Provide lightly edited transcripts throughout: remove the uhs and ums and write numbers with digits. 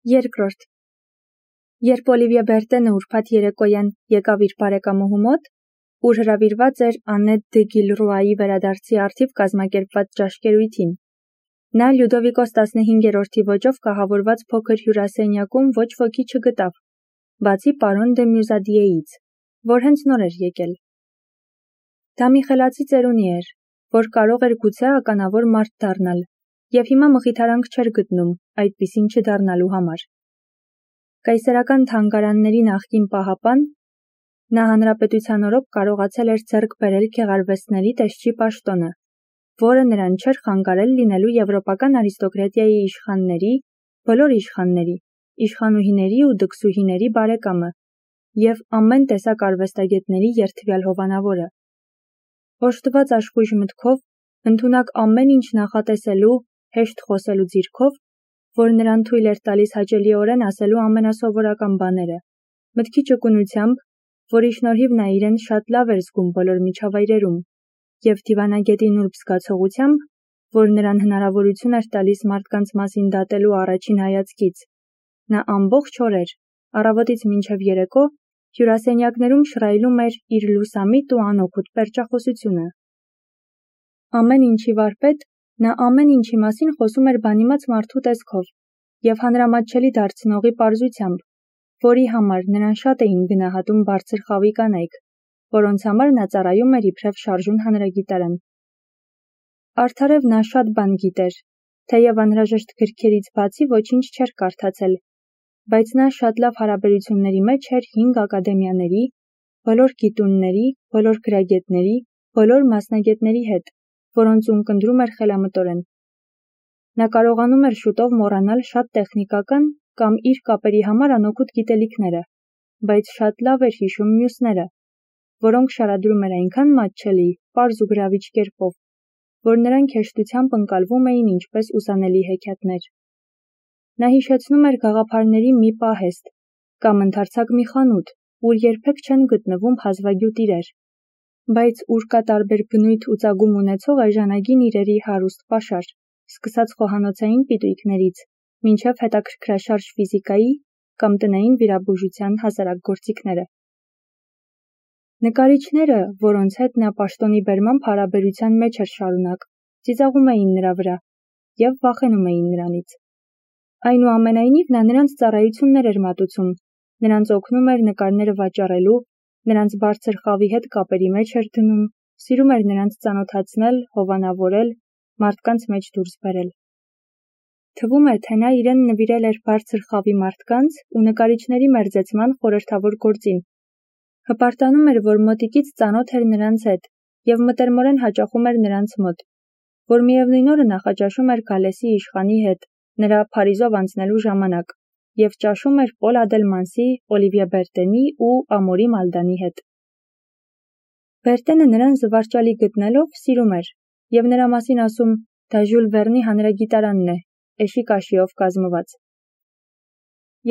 Երկրորդ. Երբ Օլիվիե Բերտենը ուրբաթ երեկոյան եկավ իր բարեկամուհու մոտ, ուր հրավիրված էր Աննետ դը Գիլռուայի վերադարձի առթիվ կազմակերպված ճաշկերույթին, նա Լյուդովիկոս 15-րդի ոճով կահավորված փոքր հյուրասենյակում ոչ ոքի չգտավ, բացի պարոն դը Մյուզադիեից, որ հենց նոր էր եկել։ Դա մի խելացի ծերունի էր, որ կարող էր գուցե ականավոր մարդ դառնալ, և հիմա մխիթարանք չէր գտնում այդպիսին չդառնալու համար։ Կայսերական թանգարանների նախկին պահապան, նա հանրապետության օրոք կարողացել էր ձեռք բերել գեղարվեստների տեսչի պաշտոնը, որը նրան չէր խանգարել լինելու եվրոպական արիստոկրատիայի իշխանների, բոլոր իշխանների, իշխանուհիների ու դքսուհիների բարեկամը և ամեն տեսակ արվեստագետների երդվյալ հովանավորը։ Օժտված աշխույժ մտքով, ընդունակ ամեն ինչ նախատեսելու, հեշտ խոսելու ձիրքով, որ նրան թույլ էր տալիս հաճելիորեն ասելու ամենասովորական բաները, մտքի ճկունությամբ, որի շնորհիվ նա իրեն շատ լավ էր զգում բոլոր միջավայրերում, և դիվանագետի նուրբ զգացողությամբ, որ նրան հնարավորություն էր տալիս մարդկանց մասին դատելու առաջին հայացքից, նա ամբողջ օրեր, առավոտից մինչև երեկո, հյուրասենյակներում շռայլում էր իր լուսամիտ ու անօգուտ պերճախոսությունը։ Ամեն ինչի վարպետ, նա ամեն ինչի մասին խոսում էր բանիմաց մարդու տեսքով և հանրամատչելի դարձնողի պարզությամբ, որի համար նրան շատ էին գնահատում բարձր խավի կանայք, որոնց համար նա ծառայում էր իբրև շարժուն հանրագիտարան։ Արդարև նա շատ բան գիտեր, թեև անհրաժեշտ գրքերից բացի ոչինչ չէր կարդացել, բայց նա շատ լավ հարաբերությունների մեջ էր 5 ակադեմիաների, բոլոր գիտունների, բոլոր գրագետների, բոլոր մասնագետների հետ, որոնց ունկնդրում էր խելամտորեն։ Նա կարողանում էր շուտով մոռանալ շատ տեխնիկական կամ իր կապերի համար անօգուտ գիտելիքները, բայց շատ լավ էր հիշում մյուսները, որոնք շարադրում էր այնքան մատչելի, պարզ ու գրավիչ կերպով, որ նրանք հեշտությամբ ընկալվում էին ինչպես ուսանելի հեքիաթներ։ Նա հիշեցնում էր գաղափարների մի պահեստ կամ ընդարձակ մի խանութ, ուր երբեք չեն գտնվում հազվագյուտ իրեր, բայց ուր կա տարբեր բնույթ ու ծագում ունեցող էժանագին իրերի հարուստ պաշար, սկսած խոհանոցային պիտույքներից, մինչև հետաքրքրաշարժ ֆիզիկայի կամ տնային վիրաբուժության հասարակ գործիքները։ Նկարիչները, որոնց հետ նա պաշտոնի բերմամբ հարաբերության մեջ էր շարունակ, ծիծաղում էին նրա վրա և վախենում էին նրանից։ Այնուամենայնիվ նա նրանց ծառայություններ էր մատուցում, նրանց օգնում էր նկարները վաճառելու, նրանց բարձր խավի հետ կապերի մեջ էր դնում, սիրում էր նրանց ծանոթացնել, հովանավորել, մարդկանց մեջ դուրս բերել։ Թվում է, թե նա իրեն նվիրել էր բարձր խավի մարդկանց ու նկարիչների մերձեցման խորհրդավոր գործին։ Հպարտանում էր, որ մոտիկից ծանոթ էր նրանց հետ և մտերմորեն հաճախում էր նրանց մոտ, որ միևնույն օրը նախաճաշում էր Գալեսի իշխանի հետ, նրա Փարիզով անցնելու ժամանակ, և ճաշում էր Պոլ Ադելմանսի, Օլիվիե Բերտենի ու Ամորի Մալդանի հետ։ Բերտենը նրան զվարճալի գտնելով սիրում էր և նրա մասին ասում, դա Ժյուլ Վերնի հանրագիտարանն է, էշի կաշիով կազմված։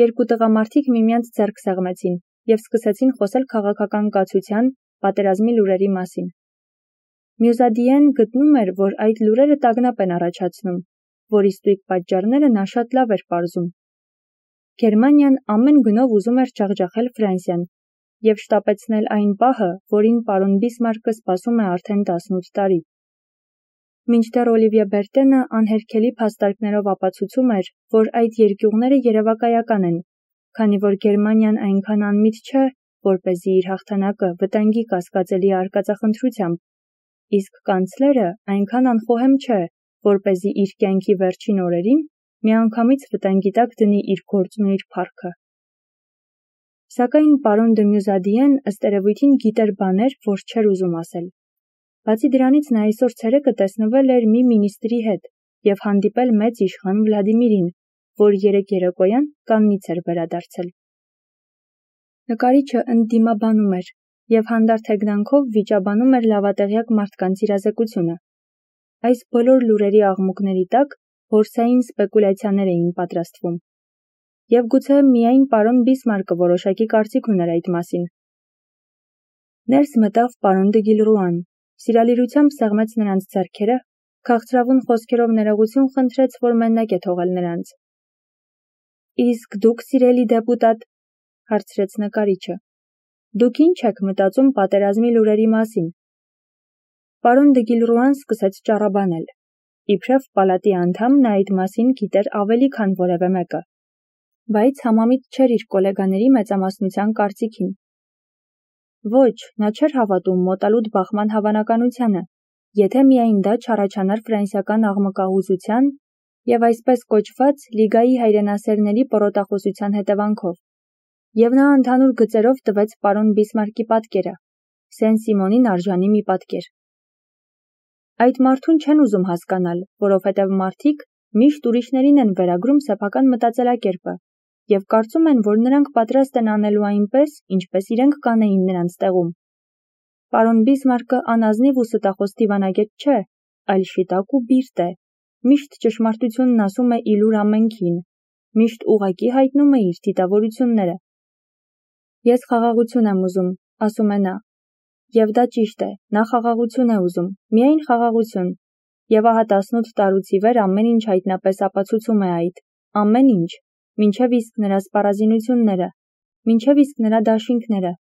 Երկու տղամարդիկ միմյանց ձեռք սեղմեցին և սկսեցին խոսել քաղաքական կացության, պատերազմի լուրերի մասին։ Մյուզադիեն գտնում էր, որ այդ լուրերը տագնապ են առաջացնում, որի ստույգ պատճառները նա շատ լավ էր պարզում։ Գերմանիան ամեն գնով ուզում էր ջախջախել Ֆրանսիան և շտապեցնել այն պահը, որին պարոն Բիսմարկը սպասում է արդեն 18 տարի։ Մինչդեռ Օլիվիե Բերտենը անհերքելի փաստարկներով ապացուցում էր, որ այդ երկյուղները երևակայական են, քանի որ Գերմանիան այնքան անմիտ չէ, որպեսզի իր հաղթանակը վտանգի կասկածելի արկածախնդրությամբ, իսկ կանցլերը այնքան անխոհեմ չէ, որպեսզի իր կյանքի վերջին օրերին միանգամից վտանգի տակ դնի իր գործն ու իր փառքը։ Սակայն պարոն դը Մյուզադիեն ըստ երևույթին գիտեր բաներ, որ չէր ուզում ասել։ Բացի դրանից նա այսօր ցերեկը տեսնվել էր մի մինիստրի հետ և հանդիպել մեծ իշխան Վլադիմիրին, որ երեկ երեկոյան Կաննից էր վերադարձել։ Նկարիչը ընդդիմաբանում էր և հանդարտ հեգնանքով վիճաբանում էր լավատեղյակ մարդկանց իրազեկությունը։ Այս բոլոր լուրերի աղմուկների տակ բորսային սպեկուլյացիաներ էին պատրաստվում։ Եվ գուցե միայն պարոն Բիսմարկը որոշակի կարծիք ուներ այդ մասին։ Ներս մտավ պարոն դը Գիլռուան, սիրալիրությամբ սեղմեց նրանց ձեռքերը, քաղցրավուն խոսքերով ներողություն խնդրեց, որ մենակ է թողել նրանց։ Իսկ դուք, սիրելի դեպուտատ, հարցրեց նկարիչը, դուք ինչ եք մտածում պատերազմի լուրերի մասին։ Պարոն դե Գիլրուան սկսեց ճառաբանել։ Իբրև պալատի անդամ նա այդ մասին գիտեր ավելի, քան որևէ մեկը, բայց համամիտ չէր իր կոլեգաների մեծամասնության կարծիքին։ Ոչ, նա չէր հավատում մոտալուտ բախման հավանականությանը, եթե միայն դա չառաջանար ֆրանսիական աղմկահուզության և այսպես կոչված լիգայի հայրենասերների պռոտախոսության հետևանքով, և նա ընդհանուր գծերով տվեց պարոն Բիսմարկի պատկերը, Սեն-Սիմոնին արժանի մի պատկեր։ Այդ մարդուն չեն ուզում հասկանալ, որովհետև մարդիկ միշտ ուրիշներին են վերագրում սեփական մտածելակերպը և կարծում են, որ նրանք պատրաստ են անելու այնպես, ինչպես իրենք կանեին նրանց տեղում։ Պարոն Բիսմարկը անազնիվ ու ստախոս դիվանագետ չէ, այլ շիտակ ու բիրտ է, միշտ ճշմարտությունն ասում է իլուր ամենքին, միշտ ուղղակի հայտնում է իր դիտավորությունները։ Ես խաղաղություն եմ ուզում, ասում է նա, և դա ճիշտ է, նա խաղաղություն է ուզում, միայն խաղաղություն, և ահա 18 տարուց ի վեր ամեն ինչ հայտնապես ապացուցում է այդ, ամեն ինչ, մինչև իսկ նրա սպառազինությունները, մինչև իսկ նրա դաշինքները,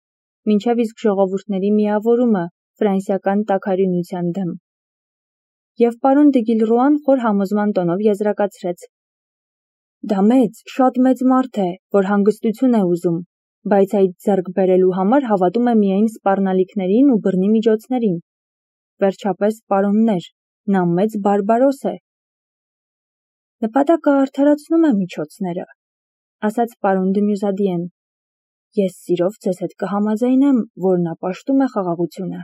մինչև իսկ ժողովուրդների միավորումը ֆրանսիական տաքարյունության դեմ։ Եվ պարոն դե Գիլրուան խոր համոզման տոնով եզրակացրեց. Դա մեծ, շատ մեծ մարդ է, որ հանգստություն է ուզում, բայց այդ ձեռք բերելու համար հավատում է միայն սպառնալիքներին ու բռնի միջոցներին։ Վերջապես, պարոններ, նա մեծ բարբարոս է։ Նպատակը արդարացնում է միջոցները, ասաց պարոն դը Մյուզադիեն։ Ես սիրով ձեզ հետ կհամաձայնեմ, որ նա պաշտում է խաղաղությունը,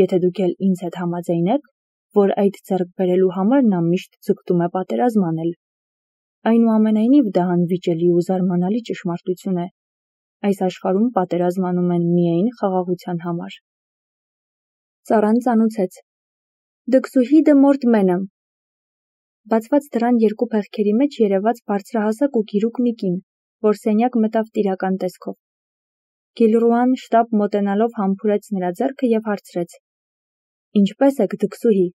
եթե դուք էլ ինձ հետ համաձայնեք, որ այդ ձեռք բերելու համար նա միշտ ձգտում է պատերազմ անել։ Այնուամենայնիվ դա անվիճելի ու զարմանալի ճշմարտություն է։ Այս աշխարհում պատերազմ անում են միայն խաղաղության համար։ Ծառան ծանուցեց. Դքսուհի դը Մորտմենը։ Բացված դռան երկու փեղկերի մեջ երևաց բարձրահասակ ու գիրուկ մի կին, որ սենյակ մտավ տիրական տեսքով։ Գիլրուան շտապ մոտենալով համբուրեց նրա ձեռքը և հարցրեց. Ինչպե՞ս եք, դքսուհի։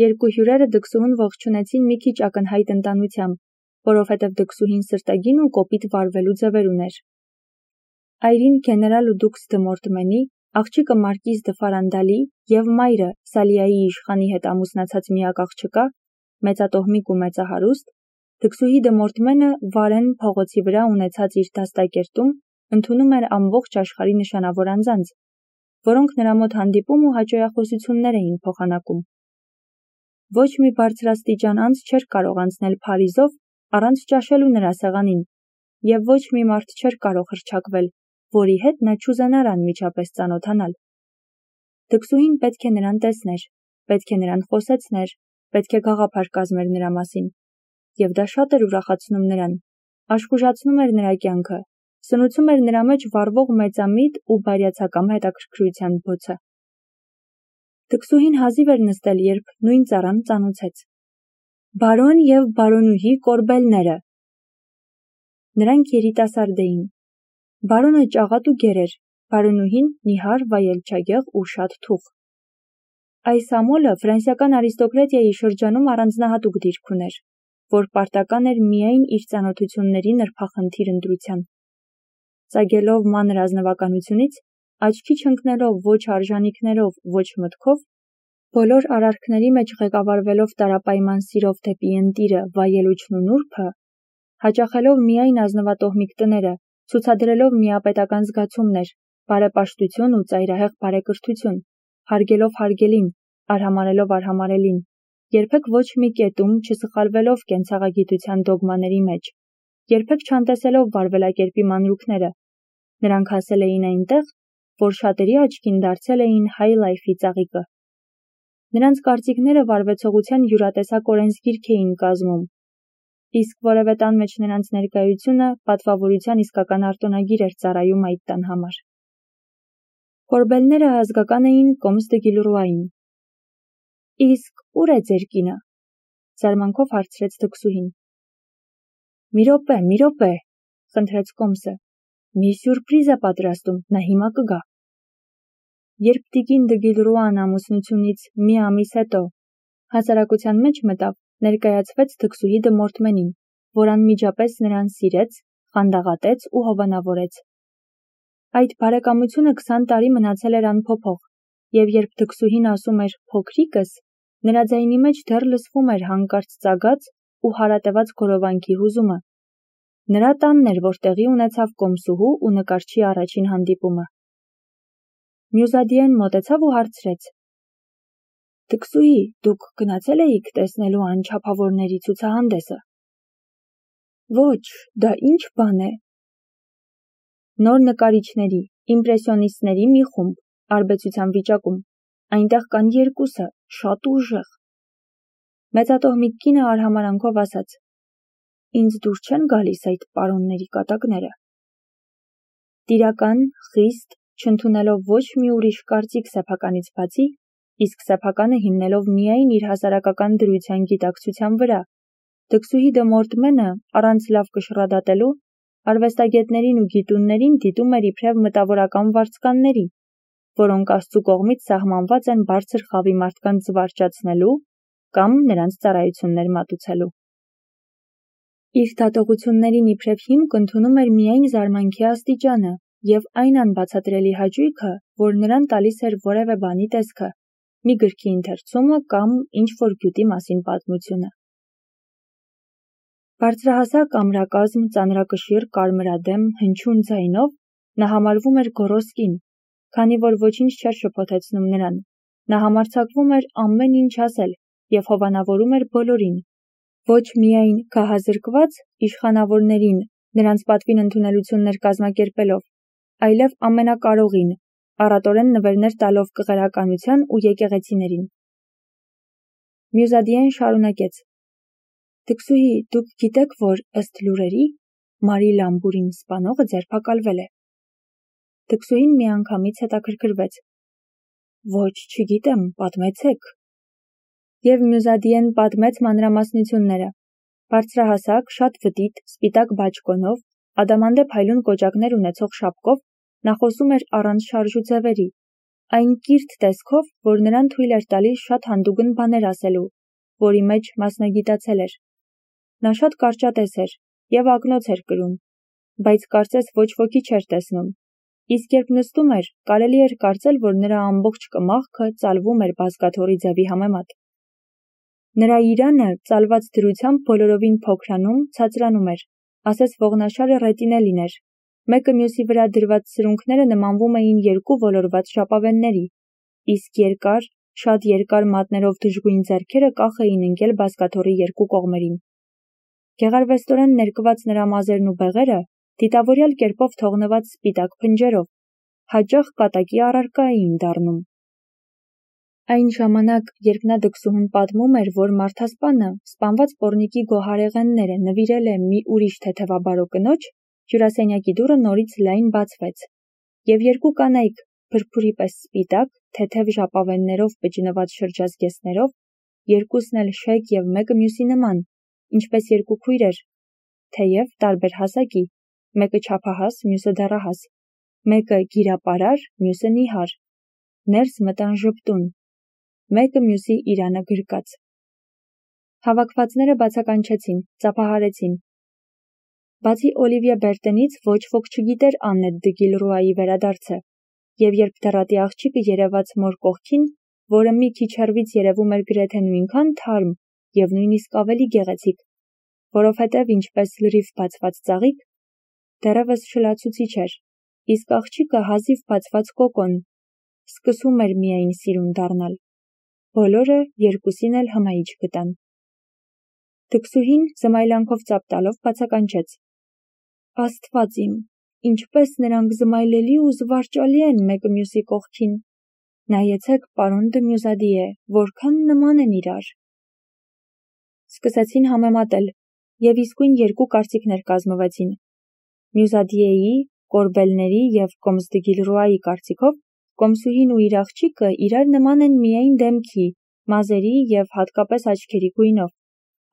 Երկու հյուրերը դքսուհուն ողջունեցին մի քիչ ակնհայտ ընտանությամբ, որովհետև դքսուհին սրտագին ու կոպիտ վարվելու ձևեր ուներ։ Այրին գեներալ ու դուքս դը Մորտմենի, աղջիկը մարկիզ դը Ֆարանդալի և մայրը Սալիայի իշխանի հետ ամուսնացած միակ աղջկա, մեծատոհմիկ ու մեծահարուստ, դքսուհի դը Մորտմենը Վարեն փողոցի վրա ունեցած իր դաստակերտում ընդունում էր ամբողջ աշխարհի նշանավոր անձանց, որոնք նրա մոտ հանդիպում ու հաճոյախոսություններ էին փոխանակում։ Ոչ մի բարձրաստիճան անձ չէր կարող անցնել Փարիզով առանց ճաշելու նրա սեղանին, և ոչ մի մարդ չէր կարող հռչակվել, որի հետ նա չուզենար անմիջապես ծանոթանալ։ Դքսուհին պետք է նրան տեսներ, պետք է նրան խոսեցներ, պետք է գաղափար կազմեր նրա մասին, և դա շատ էր ուրախացնում նրան, աշխուժացնում էր նրա կյանքը, սնուցում էր նրա մեջ վառվող մեծամիտ ու բարյացակամ հետաքրքրության բոցը։ Դքսուհին հազիվ էր նստել, երբ նույն ծառան ծանուցեց. Բարոն և բարոնուհի Կորբելները։ Նրանք երիտասարդ էին։ Բարոնը ճաղատ ու գեր էր, բարոնուհին նիհար, վայելչագեղ ու շատ թուխ։ Այս ամոլը ֆրանսիական արիստոկրատիայի շրջանում առանձնահատուկ դիրք ուներ, որ պարտական էր միայն իր ծանոթությունների նրբախնդիր ընտրության։ Ծագելով մանր ազնվականությունից, աչքի չընկնելով ոչ արժանիքներով, ոչ մտքով, բոլոր արարքների մեջ ղեկավարվելով տարապայման սիրով դեպի ընտիրը, վայելուչն ու նուրբը, հաճախելով միայն ազնվատոհմիկ տները, ցուցադրելով միապետական զգացումներ, բարեպաշտություն ու ծայրահեղ բարեկրթություն, հարգելով հարգելին, արհամարհելով արհամարհելին, երբեք ոչ մի կետում չսխալվելով կենցաղագիտության դոգմաների մեջ, երբեք չանտեսելով վարվելակերպի մանրուքները, նրանք հասել էին այնտեղ, որ շատերի աչքին դարձել էին հայ լայֆի ծաղիկը։ Նրանց կարծիքները վարվեցողության յուրատեսակ օրենսգիրք էին կազմում, իսկ որևէ տան մեջ նրանց ներկայությունը պատվավորության իսկական արտոնագիր էր ծառայում այդ տան համար։ Կորբելները ազգական էին Կոմս դը Գիլրուային։ Իսկ ուր է ձեր կինը, զարմանքով հարցրեց դքսուհին։ Մի րոպե, խնդրեց Կոմսը, մի սյուրպրիզ է պատրաստում, նա հիմա կգա։ Երբ տիկին դը Գիլրուան ամուսնությունից մի ամիս հետո հասարակության մեջ մտավ, ներկայացվեց դքսուհի դը Մորտմենին, որ անմիջապես նրան սիրեց, խանդաղատեց ու հովանավորեց։ Այդ բարեկամությունը 20 տարի մնացել էր անփոփոխ, և երբ դքսուհին ասում էր «փոքրիկս», նրա ձայնի մեջ դեռ լսվում էր հանկարծ ծագած ու հարատևած գորովանքի հուզումը։ Նրա տանն էր, որ տեղի ունեցավ կոմսուհու ու նկարչի առաջին հանդիպումը։ Մյուզադիեն մոտեցավ ու հարցրեց. «Դքսուհի, դուք գնացել էիք տեսնելու անչափավորների ցուցահանդեսը»։ «Ոչ, դա ինչ բան է»։ Նոր նկարիչների, իմպրեսիոնիստների մի խումբ, արբեցության վիճակում, այնտեղ կան երկուսը, շատ ուժեղ։ Մեծատոհմիկ կինը արհամարանքով ասաց. «Ինձ դուր չեն գալիս այդ պարոնների կատակները»։ Տիրական, խիստ, չընդունելով ոչ մի ուրիշ կարծիք սեփականից բացի, իսկ սեփականը հիմնելով միայն իր հասարակական դրության գիտակցության վրա, դքսուհի դը Մորտմենը, առանց լավ կշռադատելու, արվեստագետներին ու գիտուններին դիտում էր իբրև մտավորական վարձկանների, որոնք Աստծու կողմից սահմանված են բարձր խավի մարդկանց զվարճացնելու կամ նրանց ծառայություններ մատուցելու։ Իր դատողություններին իբրև հիմք ընդունում էր միայն զարմանքի աստիճանը և այն անբացատրելի հաճույքը, որ նրան տալիս էր որևէ բանի տեսքը, մի գրքի ընթերցումը կամ ինչ-որ գյուտի մասին պատմությունը։ Բարձրահասակ ամրակազմ, ծանրակշիռ, կարմրադեմ, հնչյուն ձայնով նա համարվում էր գոռոզ կին, քանի որ ոչինչ չէր շփոթեցնում նրան, նա համարձակվում էր ամեն ինչ ասել և հովանավորում էր բոլորին, ոչ միայն գահազրկված իշխանավորներին, նրանց պատվին ընդունելություններ կազմակերպելով, այլև ամենակարողին, առատորեն նվերներ տալով կղերականության ու եկեղեցիներին։ Մյուզադիեն շարունակեց. «Դքսուհի, դուք գիտեք, որ ըստ լուրերի, Մարի Լամբուրին սպանողը ձերբակալվել է»։ Դքսուհին միանգամից հետաքրքրվեց. «Ոչ, չգիտեմ, պատմեցեք»։ Եվ Մյուզադիեն պատմեց մանրամասնությունները։ Բարձրահասակ, շատ վտիտ, սպիտակ բաճկոնով, ադամանդե փայլուն կոճակներ ունեցող շապկով, նա խոսում էր առանց շարժուձևերի, այն կիրթ տեսքով, որ նրան թույլ էր տալիս շատ հանդուգն բաներ ասելու, որի մեջ մասնագիտացել էր։ Նա շատ կարճատես էր և ակնոց էր կրում, բայց կարծես ոչ ոքի չէր տեսնում, իսկ երբ նստում էր, կարելի էր կարծել, որ նրա ամբողջ կմախքը ծալվում էր բազկաթոռի ձևի համեմատ։ Նրա իրանը ծալված դրությամբ բոլորովին փոքրանում, ցածրանում էր, ասես ողնաշարը ռետինե լիներ, մեկը մյուսի վրա դրված սրունքները նմանվում էին երկու ոլորված ժապավենների, իսկ երկար, շատ երկար մատներով դժգույն ձեռքերը կախ էին ընկել բազկաթոռի երկու կողմերին։ Գեղարվեստորեն ներկված նրա մազերն ու բեղերը դիտավորյալ կերպով թողնված սպիտակ փնջերով, հաճախ կատակի առարկա էին դառնում։ Այն ժամանակ, երբ նա դքսուհուն պատմում էր, որ մարդասպանը սպանված պոռնիկի գոհարեղենները նվիրել է մի ուրիշ թեթևաբարո կնոջ, հյուրասենյակի դուռը նորից լայն բացվեց, և երկու կանայք, փրփուրի պես սպիտակ, թեթև ժապավեններով պճնված շրջազգեստներով, երկուսն էլ շեկ և մեկը մյուսի նման, ինչպես երկու քույրեր, թեև տարբեր հասակի, մեկը չափահաս, մյուսը դեռահաս, մեկը գիրապարար, մյուսը նիհար, ներս մտան ժպտուն, մեկը մյուսի իրանը գրկած։ Հավաքվածները բացականչեցին, ծափահարեցին։ Բացի Օլիվիե Բերտենից ոչ ոք չգիտեր Աննետ դը Գիլրուայի վերադարձը, և երբ դեռատի աղջիկը երևաց մոր կողքին, որը մի քիչ հեռվից երևում էր գրեթե նույնքան թարմ և նույնիսկ ավելի գեղեցիկ, որովհետև ինչպես լրիվ բացված ծաղիկ, դեռևս շլացուցիչ էր, իսկ աղջիկը հազիվ բացված կոկոն, սկսում էր միայն սիրուն դառնալ։ Բոլորը երկուսին էլ հմայիչ գտան։ Դքսուհին զմայլանքով ծափ տալով բացականչեց. «Աստված իմ, ինչպես նրանք զմայլելի ու զվարճալի են մեկը մյուսի կողքին։ Նայեցեք, պարոն դը Մյուզադիե, որքան նման են իրար»։ Սկսեցին համեմատել, և իսկույն երկու կարծիքներ կազմվեցին։ Մյուզադիեի, Կորբելների և կոմս դը Գիլրուայի կարծիքով, կոմսուհին ու իր աղջիկը իրար նման են միայն դեմքի, մազերի և հատկապես աչքերի գույնով,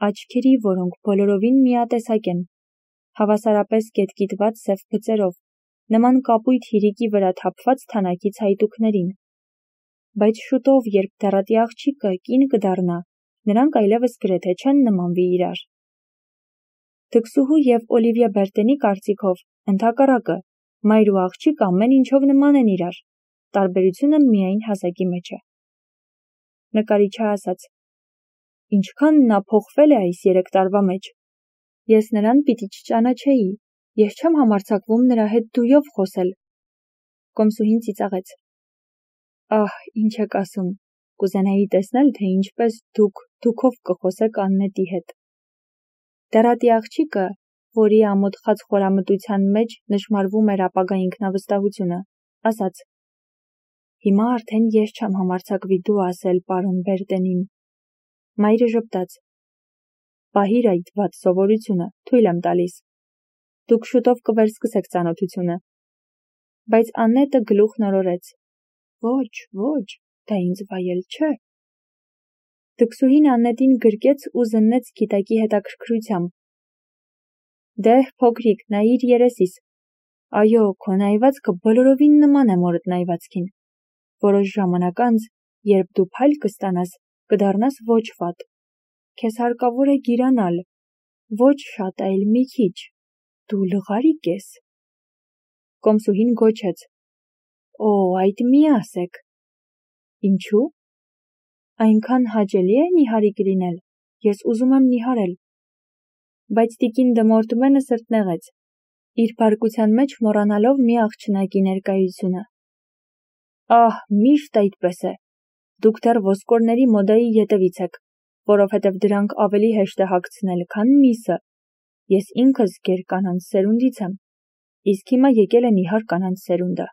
աչքերի, որոնք բոլորովին միատեսակ են, հավասարապես կետկիտված սև բծերով, նման կապույտ հիրիկի վրա թափված թանաքից հայտուկներին։ Բայց շուտով, երբ դեռատի աղջիկը կին կդառնա, նրանք այլևս գրեթե չեն նմանվի իրար։ Թքսուհու և Օլիվիա Բերտենի կարծիքով, ընդհակառակը, մայր ու աղջիկ ամեն ինչով նման են իրար, տարբերությունը միայն հասակի մեջ է։ Նկարիչը ասաց. «Ինչքան նա փոխվել է այս 3 տարվա մեջ։ Ես նրան պիտի չճանաչեի, ես չեմ համարձակվում նրա հետ դույով խոսել»։ Կոմսուհին ծիծաղեց. «Ահ, ինչ եք ասում, կուզենայի տեսնել, թե ինչպես դուք դուքով կխոսեք Աննետի հետ»։ Դեռատի աղջիկը, որի ամոթխած խորամտության մեջ նշմարվում էր ապագա ինքնավստահությունը, ասաց. «Հիմա արդեն ես չեմ համարձակվի դու ասել պարոն Բերտենին»։ Մայրը ժպտաց. «Պահիր այդ վատ սովորությունը, թույլ եմ տալիս։ Դուք շուտով կվերսկսեք ծանոթությունը»։ Բայց Աննետը գլուխ նորորեց. «Ոչ, դա ինձ վայել չէ»։ Թքսուհին Աննետին գրկեց ու զննեց գիտակի հետաքրքրությամբ. «Դեհ, փոքրիկ, նայիր երեսիս։ Այո, քո նայվածքը բոլորովին նման է մորդ նայվածքին։ Որոշ ժամանակ անց, երբ դու փայլ կստանաս, կդառնաս ոչ վատ։ Քեզ հարկավոր է գիրանալ, ոչ շատ, այլ մի քիչ։ Դու լղարիկ ես»։ Կոմսուհին գոչեց. «Օ, այդ մի ասեք»։ «Ինչու»։ «Այնքան հաճելի է նիհարիկ լինել, ես ուզում եմ նիհարել»։ Բայց տիկին Դմորտմենը սրտնեղեց, իր բարկության մեջ մոռանալով մի աղջնակի ներկայությունը։ «Ահ, միշտ այդպես է։ Դուք դեռ ոսկորների մոդայի ետևից եք, որովհետև դրանք ավելի հեշտ է հագցնել, քան միսը։ Ես ինքս գեր կանանց սերունդից եմ, իսկ հիմա եկել է նիհար կանանց սերունդը։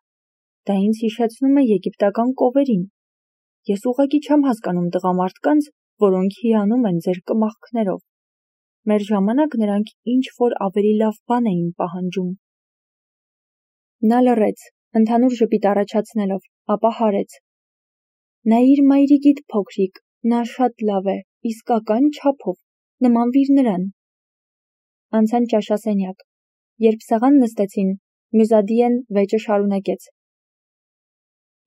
Դա ինձ հիշեցնում է եգիպտական կովերին։ Ես ուղղակի չեմ հասկանում տղամարդկանց, որոնք հիանում են ձեր կմախքներով։ Մեր ժամանակ նրանք ինչ-որ ավելի լավ բան էին պահանջում»։ Նա լռեց, ընդհանուր ժպիտ առաջացնելով, ապա հարեց. «Նայիր մայրիկիդ փոքրիկ, նա շատ լավ է, իսկական չափով, նմանվիր նրան»։ Անցան ճաշասենյակ։ Երբ սեղան նստեցին, Մյուզադիեն վեճը շարունակեց.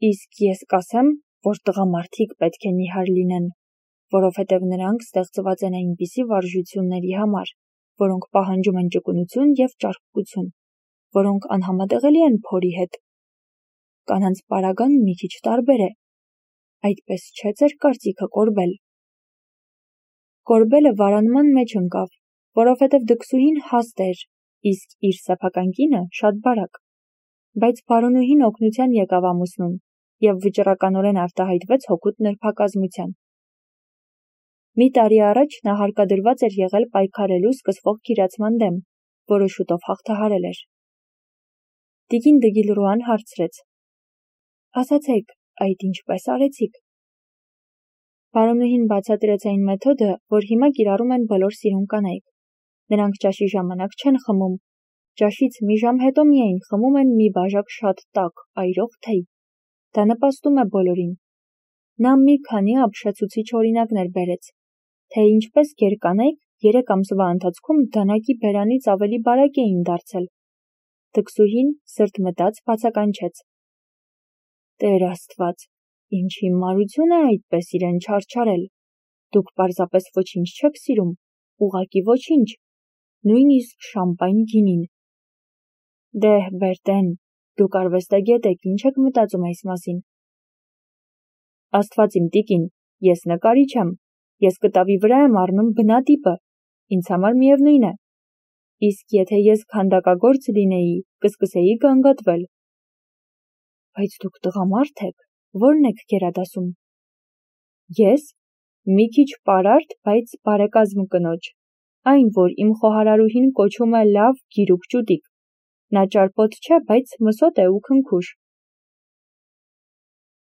«Իսկ ես կասեմ, որ տղամարդիկ պետք է նիհար լինեն, որովհետև նրանք ստեղծված են այնպիսի վարժությունների համար, որոնք պահանջում են ճկունություն և ճարպկություն, որոնք անհամատեղելի են փորի հետ։ Կանանց պարագան մի քիչ տարբեր է։ Այդպես չէ ձեր կարծիքը, Կորբել»։ Կորբելը վարանման մեջ ընկավ, որովհետև դքսուհին հաստ էր, իսկ իր սեփական կինը շատ բարակ։ Բայց բարոնուհին օգնության եկավ ամուսնուն և վճռականորեն արտահայտվեց հօգուտ նրբակազմության։ Մի տարի առաջ նա հարկադրված էր եղել պայքարելու սկսվող գիրացման դեմ, որը շուտով հաղթահարել էր։ Տիկին Դգիլրուան հարցրեց. «Ասացեք, այդ ինչպես արեցիք»։ Բարոնուհին բացատրեց այն մեթոդը, որ հիմա կիրառում են բոլոր սիրուն կանայք։ Նրանք ճաշի ժամանակ չեն խմում, ճաշից մի ժամ հետո միայն խմում են մի բաժակ շատ տաք, այրող թեյ։ Դա նպաստում է բոլորին։ Նա մի քանի ապշեցուցիչ օրինակներ բերեց, թե ինչպես գերկանայք 3 ամսվա ընթացքում դանակի բերանից ավելի բարակ էին դարձել։ Թքսուհին սրտ մտած բացականչեց. «Տեր Աստված, ինչ հիմարություն է այդպես իրեն չարչարել։ Դուք պարզապես ոչինչ չեք սիրում, ուղղակի ոչինչ, նույնիսկ շամպայն գինին»։ «Դեհ, Բերտեն, դուք արվեստագետ եք, ինչ եք մտածում այս մասին»։ «Աստված իմ տիկին, ես նկարիչ եմ, ես կտավի վրա եմ առնում բնատիպը, ինձ համար միևնույն է։ Իսկ եթե ես քանդակագործ լինեի, կսկսեի գանգատվել»։ «Բայց դուք տղամարդ եք, ո՞րն եք գերադասում»։ «Ես մի քիչ պարարտ, բայց բարեկազմ կնոջ, այն, որ իմ խոհարարուհին կոչում է լավ գիրուկ ճուտիկ։ Նա ճարպոտ չէ, բայց մսոտ է ու քնքուշ։